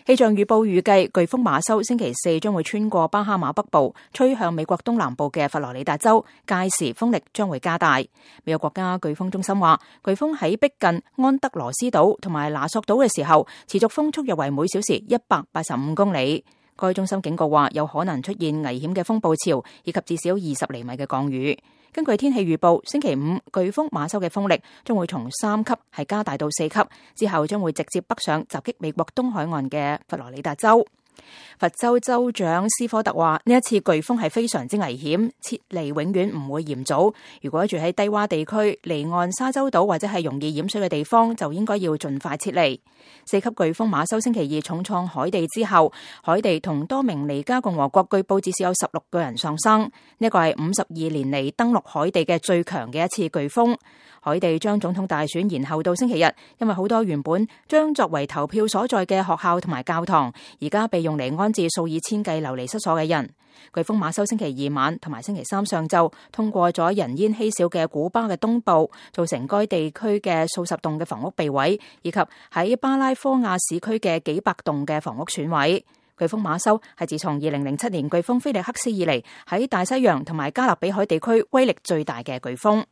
氣象預報預計颶風馬修星期四將會穿過巴哈馬北部，吹向美國東南部嘅佛羅里達州，屆時風力將會加大。美國國家颶風中心話，颶風喺逼近安德羅斯島同埋拿索島嘅時候，持續風速約為每小時185公里。該中心警告話，有可能出現危險嘅風暴潮，以及至少20厘米嘅降雨。根據天氣預報，星期五颶風馬修嘅風力將會從3級係加大到4級，之後將會直接北上襲擊美國東海岸嘅佛羅里達州。佛州州長斯科特話，呢一次颶風係非常之危險，撤離永遠唔會嫌早。如果住喺低洼地區、離岸沙洲島或者係容易淹水嘅地方，就應該要盡快撤離。4級颶風馬修星期二重創海地之後，海地同多明尼加共和國據報至少有16個人喪生。呢個係52年嚟登陸海地嘅最強嘅一次颶風。海地將總統大選延後到星期日，因為好多原本將作為投票所在嘅學校同埋教堂，而家被用嚟安置數以千計流離失所嘅人。颶風馬修星期二晚同埋星期三上晝通過咗人煙稀少嘅古巴嘅東部，造成該地區嘅數十棟嘅房屋被毀，以及喺巴拉科亞市區嘅幾百棟嘅房屋損毀。颶風馬修係自從2007年颶風菲力克斯以嚟喺大西洋同埋加勒比海地區威力最大嘅颶風。